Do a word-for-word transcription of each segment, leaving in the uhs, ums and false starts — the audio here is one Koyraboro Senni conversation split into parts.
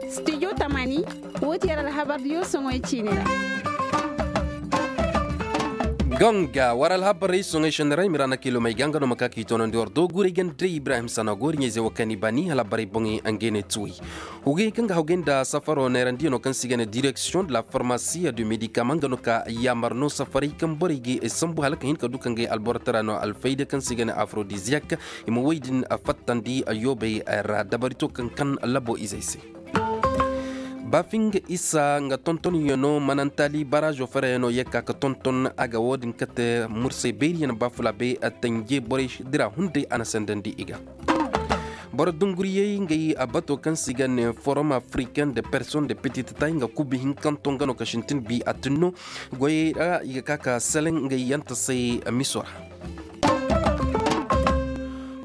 Studio tamaani, woo ti yer alhabar diyo soŋoy ciini ra. Ganga war alhabarey soŋoy sendera i ma ra na kiilomey ga nga no ma ka k'i toonandi war dooguurey ganda ibrahim sana gooriɲey ze wo kaŋ i bani alhabarey boŋey nga i ne tuwey. Hugey kaŋ ga hawgay nda safaro neerandiyaŋo kaŋ se i ga ne direksiyoŋ de la farmasi de medikama nga no ka yaamar no safarey kaŋ borey ga sambu hala ka hin ka du ka ngey alboro tara no alfayda kaŋ se i ga ne afrodiziyak. I ma woy din fattandi yoobey ra dabari to kaŋ kan labo izey se. Baafinga isa nga tontonyaŋo manantaali baraazo farayaŋo ye ka ka tonton a ga wo- din kate mursay beeriyaŋ baafulaabe tanje borey dira hunday a na sendandi i ga. Boro dunguriyey ngey a bato kaŋ se i ga ne forum africain de personne de petite taille nga kubi hinkanto nga no ka sintin bi a tinno. Goyey ra i ga ka ka seleŋ ngey yanta se miso ra.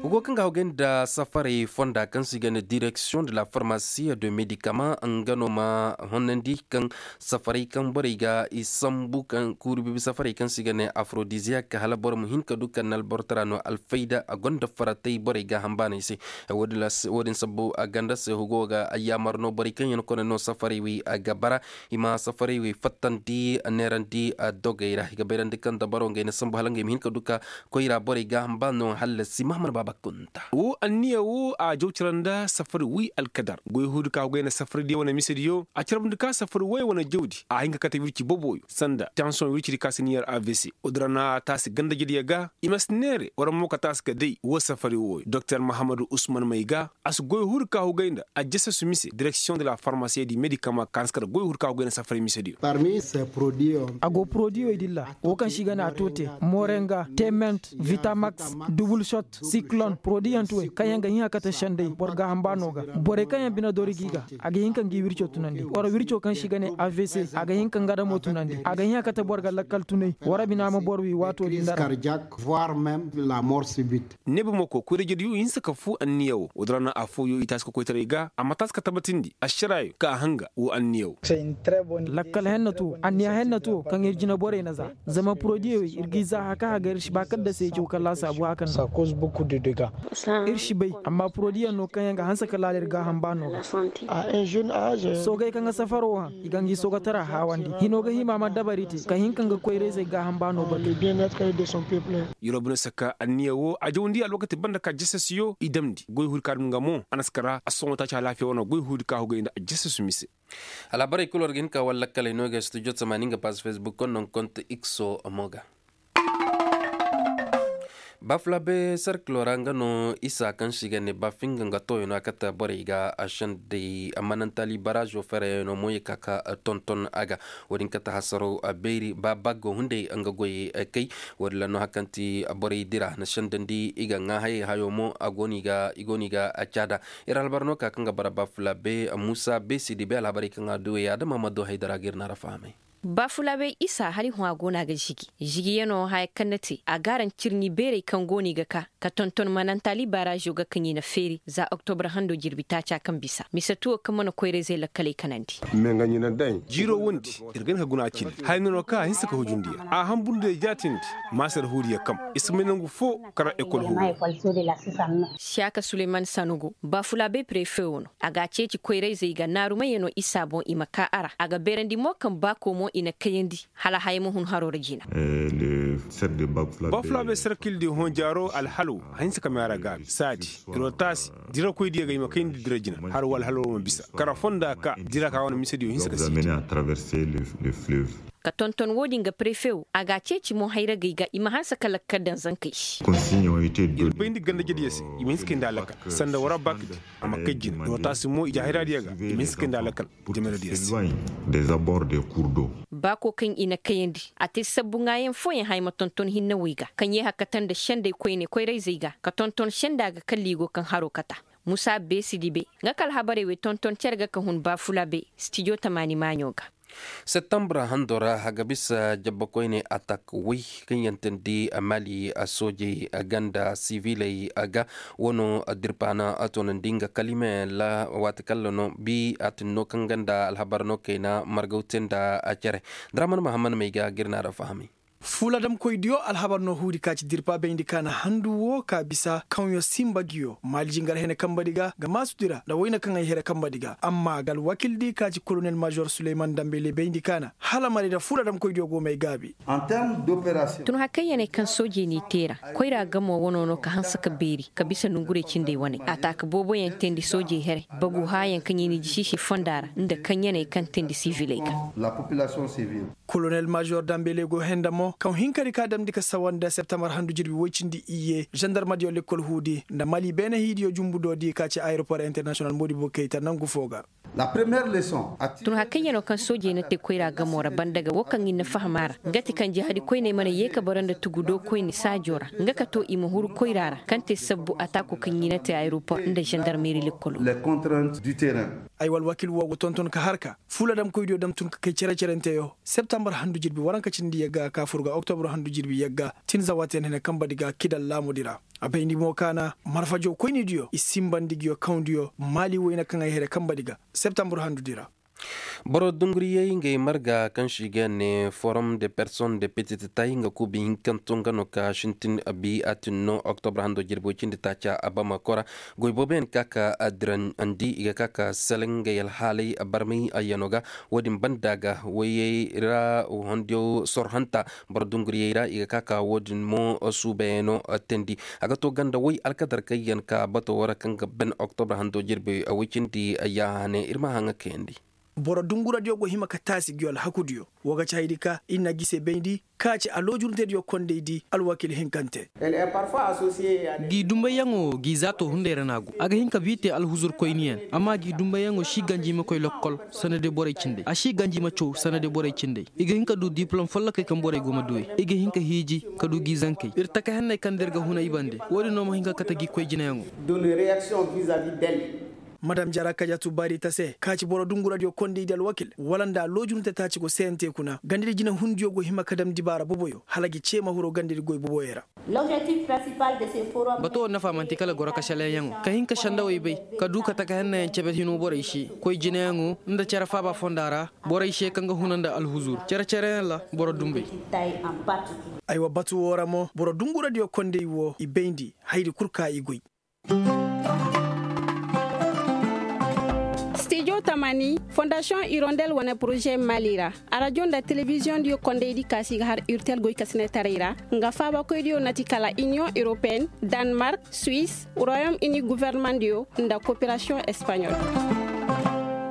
Hugo kaŋ ga hawgay nda safarey fonda kaŋ se i ga ne direksiyoŋ de la farmasi de medikama nga no ma honnandi kaŋ safarey kaŋ borey ga i sambu kaŋ kuuri bibi safarey kaŋ se i ga ne afrodiziyak hala boro ma hin ka du kaŋ na alboro tara no alfayda a gonda faratay borey ga hambaaney se. Wo- din sabbu a ganda se hugo ga yaamar no borey kaŋ yaŋ kone no safarey wey ga bara i ma safarey wey fattandi neerandi dogey ra i ga bayrandi kaŋ dabaro ngey na sambu hala ngey ma hin ka du ka koyra borey ga hamba no hallasi mahamar baaba kunta. Wo anniya wo a jaw cara nda safari wi alkadar goy huudi ka hugay nda safari diyo wane mise diyo a carabndi ka safari way wane jawdi a hin ka kate wirci boboyo sanda tansiyoŋ wirci di ka si niyar avc. Wodin ra na taasi ganda jediyo ga i ma si neere war mo ka taasi ka day wo safari woyo doktor mahamadu usman may ga a si goy huudi ka hugay nda a jasasu mise direksiyoŋ de la farmasiye di medikama ka hanse ka nda goy huudi ka hugay nda safari mise diyo. A go porodiyoy din ra wo kaŋ se i ga ne a toote morenga, tement, vitamax, dubul sot, siklon porodiyanti wey kaŋ yaŋ ga hin a kate senday boro gaaham baano ga. Borey kaŋ yaŋ bine dori gi ga a ga hin ka ngi wirco tunandi war wirco kaŋ se i ga ne avc a ga hin ka nga damo tunandi a ga hin a kate boro ga lakkal tunay war bina ma boro wi waato din dara. Neeba mako koyra jediyo hinse ka fu anniya wo wodin ra na afooyo i taasi ka koytaray ga a ma taasi ka tabatindi ašaraayo ka a hanga wo anniya wo. Lakkal henna to anniya henna to kaŋ ir jina borey na za zama porodiyo ir g'i za haka haga ir si ba kaŋ da se i caw kala saabu haka no. Ir si bay amma porodiyaŋ no kaŋ yaŋ ga hanse ka laala ir gaaham baano ga. Soogey kaŋ ga safaro haŋ i ga ngi soogatara haawandi hino ga hima ma dabari te ka hin ka nga koyrayzey gaaham baano batu. Yero bine saka anniya wo a jawandi alwakati banda ka jasasiyo i damndi goy huudi ka dum nga mo a na si kara a sohõ taaci alaafiya wane goy huudi ka hugay nda a jasasu mise. Alhabarey kul war ga hin ka walla kaley no ga studio tamaani nga pass facebook konno nga konto ikso mo ga. Bafulabe serkilo ra nga no isa kaŋ se i ga ne bafinga nga tooyano a kate borey ga a sendey manantali barazo fereyano mo ye ka ka tonton a ga. Wo- din kate hasaro beeri ba baggo hunday nga goy kay. Wo- din ra no hari kaŋ ti borey dira na sendandi i ga ŋaa hayey hayo mo a go no i ga i go no i ga caada. Ir alhabar no ka kaŋ ga bara bafulabe musa beesidi bay alhabarey kaŋ a du wey adama ma du haydara ga ir na ra fahamay. Baafulaabey isa hala i hõ a go no a ga žigi žigiyano haya kaŋ na te a gaaran cirni beerey kaŋ go no i ga ka ka tonton manantali baarazo ga kaŋ i na feeri za oktobre hando jirbi taaca kaŋ bisa mise tuwo kaŋ mana koyrayzey lakkaley kanandi. Jiiro wondi ir ga hin ka guna a cine haya no no kaŋ a hinsa ka hujundiya a hamburundiya jaatindi maasar huuriya kam i si may nangu fo kara ekol huuru. Siyaaka suleyman sanugo baafulaabey prefe wo no a ga a ceeci koyrayzey ga naarumayano isa boŋ i ma ka a ra a ga beerandi mo kaŋ baako mo i na kayandi hala haya ma hun haro ra jina. Bafulaabey sarkil di hõ jaaro alhalo a hinsa ka meera gaabi saadi, ir wo taasi dirakoydiyo ga i ma kayandi dira jina har wo alhalo wo ma bisa kara fonda ka dira ka wane misediyo hinsa ka siiti. Ka tonton wo-din ga prefe wo a ga a ceeci mo hayragey ga i ma hanse ka lakkal daŋ zankey se. Ir bayndi gandajediyo se i ma hinse kay nda a lakkal sanda wara bakdi a ma kay jine ir wo taasi mo i ja hayraadiyo ga i ma hinse kay nda a lakkal. Jameradiyo se. Baako kaŋ i na kayandi a te sabbu ŋaayaŋ fooyaŋ haya ma tonton hinnawey ga kaŋ ye hakata nda sendey koyne koyrayzey ga ka tonton senda ga kalla i go kaŋ haro kata. Musa beesi dibe nga ka alhabarey wey tonton cere ga ka hun baafulabe stijo tamaani maaɲo ga. Septambur hando ra a ga bisa jabbakoyne atak way kaŋ yaŋ teendi mali soojey ganda siviley ga. Wano dirpaana a toonandi nga kalimeyaŋ ra waati kalla no bi a tinno kaŋ ganda alhabar no kayna margaw te nda cere. Daraman mahammad may ga ga ir na ra fahamay. Fuladamkoydiyo alhabar no huudi ka ci dirpa bayndi ka na handu wo ka bisa kaŋyo simba giyo maali jingar hene kambadi ga ga maasudi ra nda wayna kaŋ ay here kambadi ga amma ga alwakildi ka ci kolonel mažor suleyman dambele bayndi ka na hala marayda fuladamkoydiyo go may gaabi. Tun hakayyaney kaŋ soojey n'i te ra koyra gamo wano no ka hanse ka beeri ka bisa nongurey cindey waney a taaka booboyaŋ teendi soojey here bagu haayaŋ kaŋ i n'i jisi se fonda ra nda kaŋyaney kaŋ teendi siviley ga. Kolonel mažor dambele go henda mo kaŋ hinkadi ka damndi ka sawa nda septembar handu jirbi woy cindi iyye žandarmadiyo lekkol huudi nda mali beene hiidiyo jumbu doodi ka ci ayeropor internasiyonal moodibo kayta nangu fo ga. Tun hakayyanoo kaŋ soojey na te koyra gamoo ra banda ga woo kaŋ ir na faham a ra nga ti kaŋ jahadikoyney mana yee ka bara nda tugu doo koyne saajoo ra nga ka too i ma huru koyra ra kaŋ te sabbu ataakoo kaŋ i na te ayeropor nda žandarmeri lekkoloo. Ay wa alwakiil woo go tonton ka har ka fuladamkoydiyo dam tun ka kay cere-cerenteyo septembar handu jirbi waranka cindi yagga ka fur ga oktobur handu jirbi yagga tin zawaten hene kambadi ga kidal laamudi ra. A bayndi mo ka na marfajoo koynidiyo i sinbandi nguyo kawndiyo maali wayna kaŋ ay here kambadi ga septembar handudi ra. Boro dunguriyey ngey marga kaŋ se i ga ne forom de person de petite tay nga kuubi hinkanto nga no ka sintin bi atin no oktobur hando jirbo cindi taaca a bamako ra. Goy booboyaŋ ka ka dirandi i ga ka ka seleŋ ngey alhaaley barmay ayyano ga. Wo-din banda ga wayey ra hondiyo sor hanta boro dunguriyey ra i ga ka ka wo-din mo suubayano teendi. A ga to ganda way alkadar kaŋ yaŋ ka bato wo ra kaŋ ga ban oktobur hando jirbi way cindi ya hane ir ma haŋa kayandi. Boro dunguradiyo go hima ka taasi nguyo alhakudiyo. Wo ga ci haydi ka ir na gi se bayndi ka ci aloojurunteediyo kondaydi alwakiil hinkante. G'i dumbayyaŋo g'i zaato hunday ra no a go a ga hin ka bii te alhuzur koyniyaŋ. Amma g'i dumbayyaŋo si ganji ma koy lokkol sanda day borey cindey a si ganji ma caw sanda day borey cindey. I ga hin ka du diplom follokey kaŋ borey go ma du i ga hin ka hiiji ka du g'i zankey ir taka henney kaŋ da ir ga huna i bande. Wo-din no ma hin ka kate g'i koy jinayaŋo. Madam jara kajatu baari ta se ka ci boro dunguradiyo kondaydi alwakiil wala nda aloojurunte taaci go seyante kuna gandadi jinahundiyo go hima ka dam dibaara boboyo hala gi cee ma huru gandadi goy boboyo ra. Bato wo nafa man'ti kala goro kasalayaŋo ka hin ka sandawey bay ka du ka taka hennayaŋ cebe hino borey se koy jinayaŋo nda cere faaba fonda ra. Borey se kaŋ ga huna nda alhuzur cere-cereyaŋ ra boro dumbey. Aywa batu wo ra mo boro dunguradiyo kondey wo i bayndi hayadi kul ka i goy. Stijo tamani fondasiyoŋ irondel wane poroze mali ra. Arajo nda telebiziyoŋ diyo kondey di kaasi ga har urtel goy kasinetaray ra nga faabakoy diyo na ti kala iniyoŋ europeyen, danmark, suwis, royom ini guverneman diyo nda koperasiyoŋ espanyol.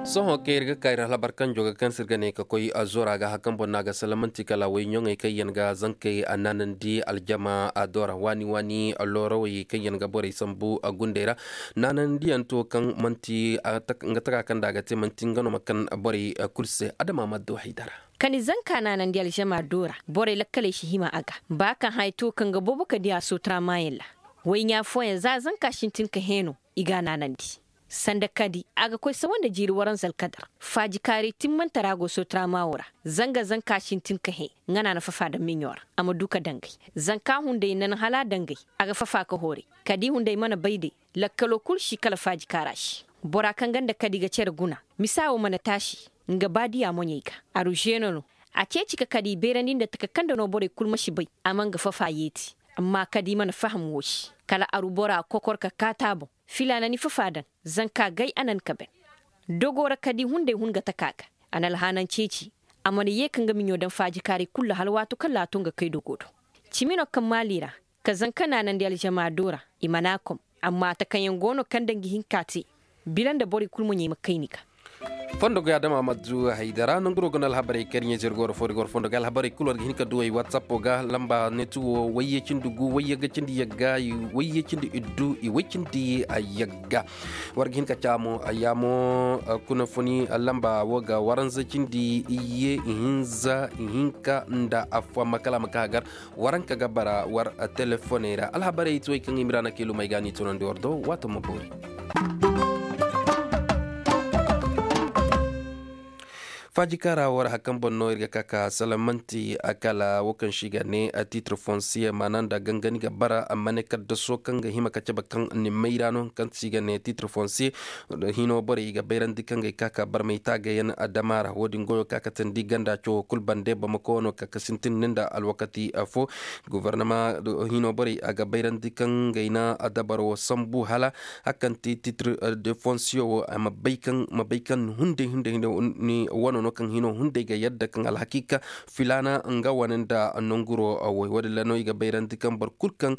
Sohõ kaŋ ir ga ka ir alhabar kanjo ga kaŋ se ir ga ne ka koy azora ga hakan boŋ no a ga salla man'ti kala way ɲoŋey kaŋ yaŋ ga zankey a naanandi aljama a do ra waani waani loorawey kaŋ yaŋ ga borey sambu a gundey ra. Naanandiyaŋ to kaŋ man'ti nga taka kaŋ nda a ga te man'ti nga no ma kaŋ borey kul se adama ma do haydara. Kani zanka naanandi aljama do ra borey lakkaley si hima a ga ba kaŋ haya to kaŋ ga boobo ka di a sootaramaayaŋ ra. Wayɲaa fooyaŋ za zanka sintin ka hẽ no i g'a naanandi. Sanda kadi a ga koy sawa nda jiiri waranza alkadar faajikaaray timmantara go sootaramaawo ra. Zanga zanka sintin ka hẽ nga no a na fafa daŋ miɲo ra a ma du ka dangay. Zanka hunday nan hala a dangay a ga fafa ka hooray. Kadi hunday mana bay day lakkaloo kul si kala faajikaara si. Bora kaŋ ga nda kadi ga cere guna misa wo mana taasi. Nga baadiya moɲey ga aru ženo no. A ceeci ka kadi beerandi nda taka kaŋ nda no borey kul ma si bay. A ma nga fafa yeeti. Amma kadi mana faham wo se kala aru bora kokor ka kaati a boŋ. Filaana ni fafa daŋ zanka gay a nan ka ben. Dogo ra kadi hunday hun ga taka ga. A na alhaanan ceeci. A mana ye ka nga miɲo daŋ faajikaaray kul ra hala waato kaŋ ra a to nga kay dogo do. Cimi no kaŋ maali ra ka zanka naanandi aljama do ra. I mana a kom. Amma takayaŋ go no kaŋ daŋ ga hin ka te. Bila nda borey kul moɲey ma kay ni ga. Fondo ga adama ma du haydara nanguro ga no alhabarey kaŋ ir ɲeezer goro fo ir goro fondo ga alhabarey kul war ga hin ka du ay watsappo ga lamba netu wo wayye cindi gu wayye ga cindi yagga wayye cindi iddu i way cindi yagga. War ga hin ka caamo yaamo kuna funi lamba wo ga waranza cindi iyye ihinza ihinka nda afo amma kala a ma ka gar. Waranka ga bara war telefoney ra alhabarey ti way kaŋ i ma ira na kiilumey ga ni tunandi war do waato ma boori. Faajikaara war hakan boŋ no ir ga ka ka salamanti a kala wo kaŋ se i ga ne titre fonsiye maana nda gangani ga bara amma ne kaddaso kaŋ ga hima ka cabe kaŋ ni mayra no kaŋ se i ga ne titre fonsiye. Hino borey i ga bayrandi kaŋ ga i ka ka barmay taagayaŋ adama ra wo- din goyo ka katandi ganda cawo kulu bande bamako no ka ka sintin ni nda alwakati fo. Gobornama hino borey a ga bayrandi kaŋ ga i na dabaro sambu hala a kaŋ ti titre de fonsiyo wo a ma bay kaŋ hunday hunday hunday wano no kaŋ hino hunday ga yadda kaŋ alhakiika filaana nga wane nda nanguro. Wo- din ra no i ga bayrandi kaŋ boro kulu kaŋ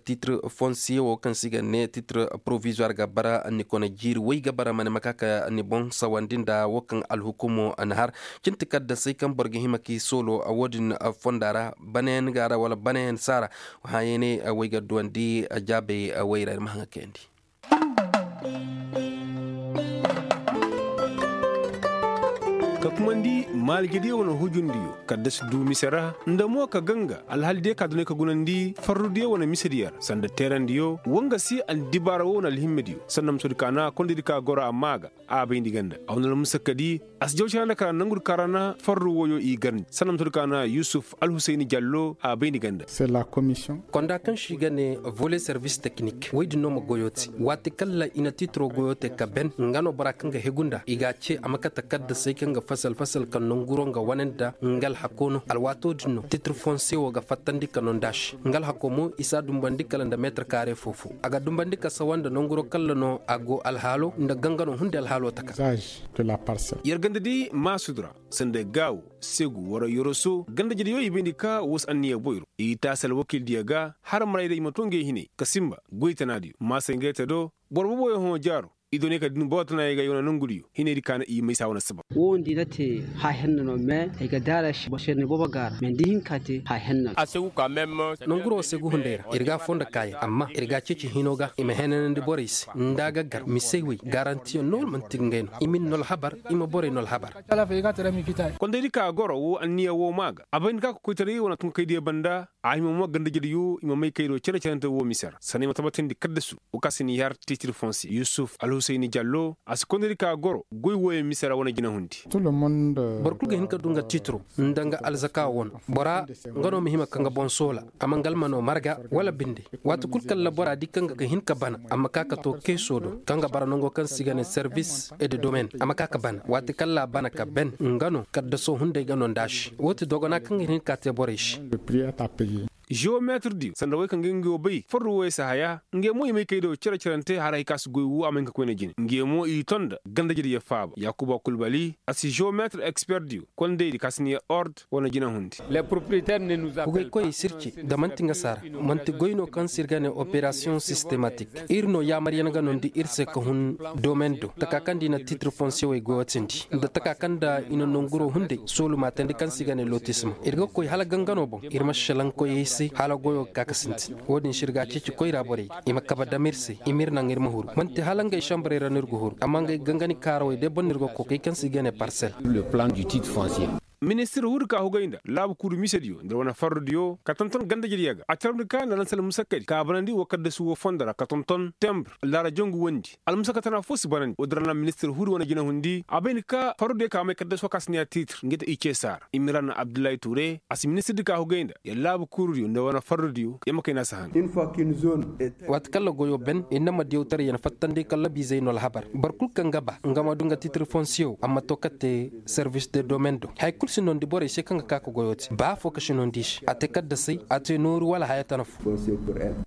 titre fonsiye wo kaŋ se i ga ne titre porovizuwar ga bara ni kone jiiri way ga bara ma ne ma ka ka ni boŋ sawandi nda wo kaŋ alhukumo na har. Cinti kaddasay kaŋ boro ga hima ka i soolo wo- din fonda ra banayaŋ ga ra wala banayaŋ saara. Hayane way ga duwandi jaabay way ra ir ma haŋa kayandi. Ka kumandi maalijediyo wane hujundiyo kaddasi du mise ra nda mo ka ganga alhalidiyo ka dunay ka gunandi farrudiyo wane misediyo ra sanda teerandiyo wanga se andibaara wo wane alhimmediyo sanda musodi ka na kondedi ka goro amma ga a bayndi ganda a wane almusakadi. A si jaw cere nda kara nangudi ka ra na farru woyo i garndi sanda musodi ka na yusuf alhusayni jallo a bayndi ganda. Konda kaŋ se i ga ne vole servis teknik woy din no ma goyo te waati kaŋ ra i na tiitiro goyo te ka ben nga no bora kaŋ ga hegu nda i ga a ce a ma kate kaddasey kaŋ ga fasal fasal ka nanguro nga wane nda nga alhako no alwaato din no tiitiro fonse wo ga fattandi ka no nda a se nga alhako mo i si a dumbandi kala nda meetir kaare foo foo a ga dumbandi ka sawa nda nanguro kaŋ ra no a go alhaalo nda gangano hunday alhaalo taka. Yer ganda di maasud ra sanda gaawo segu wara yoroso ganda jediyo i bayndi ka woo si anniya boyro i taasi alwakiildiyo ga har marayda i ma too ngey hinay ka sinba goytanaadiyo maasay ngey te do boro boboyo hõ jaaro i doonay ka din boro tanaayey ga i wane nongudiyo hinaydi ka na i maysa wane saba. Woo nda i na te haahenna no mais ay ga daara se boro se ni boobo ga ra mais nda i hin ka te haahenna no. Nonguro wo segu hunday ra ir ga a foo nda kaayaŋ amma ir ga a ceeci hino ga i ma henanandi borey se nda a ga gar misey wey garantiyaŋ no wala man'ti ngey no i ma ni no alhabar i ma borey no alhabar. Kondaydi ka goro woo anniya woo maa ga a bay nda ka kokoytaray wane tunkaydiyo banda a hima mo gandajediyo i ma may kaydo cere-cerante woo mise ra sanna i ma tabatindi kaddasu woo ka si n'i har tiitir fonse yusuf alhusayni jallo a si kondaydi ka goro goy wooyaŋ mise ra wane jinahundi. Boro kul ga hin ka du nga tiitiro nda nga alzaka wano bora nga no ma hima ka nga boŋ soola a ma nga almano marga wala binde. Waati kul kaŋ ra bora di kaŋ ga hin ka bana a ma ka ka to keeso do kaŋ ga bara nango kaŋ se i ga ne servis e de domen a ma ka ka bana waati kaŋ ra a bana ka ben nga no kaddaso hunday ga no nda a se woo ti dogona kaŋ ga hin ka te borey se. Jewomeetir diyo sanda wey kaŋ ga nga wo bay farru woyey si haya ngey mo i may kay do cere-cerante har hay ka si goy woo a ma hin ka koyne jine ngey mo i ton nda ganda jediyo faaba yaakuba kulbali a si jewomeetir eksper diyo kondaydi ka si ne ord wane jinahundi. Hugay koyey si ir ci nda man'ti nga saara man'ti goy no kaŋ se ir ga ne operasiyoŋ sistematik ir no yaamaryaŋ ga nondi ir se ka hun domen do taka kaŋ nda i na tiitir fonsewey goyotindi nda taka kaŋ nda i na nonguro hunday soolumaatandi kaŋ se i ga ne lotisma ir ga koy hala gangano boŋ ir ma šelaŋ koyey se hala goyo ga ka ka sintin woo din se ir ga a ceeci koyra borey ga i ma kabe dam ir se i ma ir naŋ ir ma huru man'ti hala ngey šambarey ra no ir ga huru amma ngey gangani kaarawey day boŋ no ir ga koy kay kaŋ se i ga ne parsel. Ministir huudi ka hugay nda laabu kuuru misediyo nda wane farrudiyo ka tonton gandajediyo ga a carabndi ka nda lansal musakkadi ka a banandi woo kaddasu woo fondo ra ka tonton tembur laara jangu wondi almusakka tana foo si banandi woo din ra na ministir huudi wane jinahundi a bay nda ka farrudiyo ka may kaddasu woo ka si ne a tiitir ngey te i ce saara imran abdullahi tuure a si ministirdi ka hugay nda yer laabu kuurudiyo nda wane farrudiyo yer ma kay no a si han. Waati kaŋ ra goyo ben ir na ma diyawtaray yer fattandi kallabiizey no alhabar boro kul kaŋ ga ba nga ma du nga tiitir fonsiyo a ma to ka te servis de domen do haya kul si nondi borey se kaŋ ga ka ka goyo te ba afo ka si nondi i se a te kaddasey a te nooru wala haya tana fo.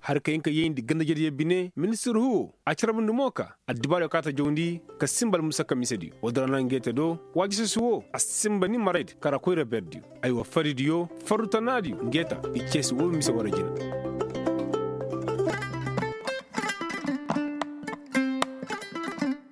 Hari ka hin ka yayndi ganda jediyo bine ministir huwo a carabndi mo ka addibaariyo ka ta jawndi ka sinba almusakka misediyo woo din ra na ngey te do waajisasi woo a sinba ni maraydi kara koyra berdiyo aywa faridiyo farru tanaadiyo ngey ta i ceesi woo mise wara jina.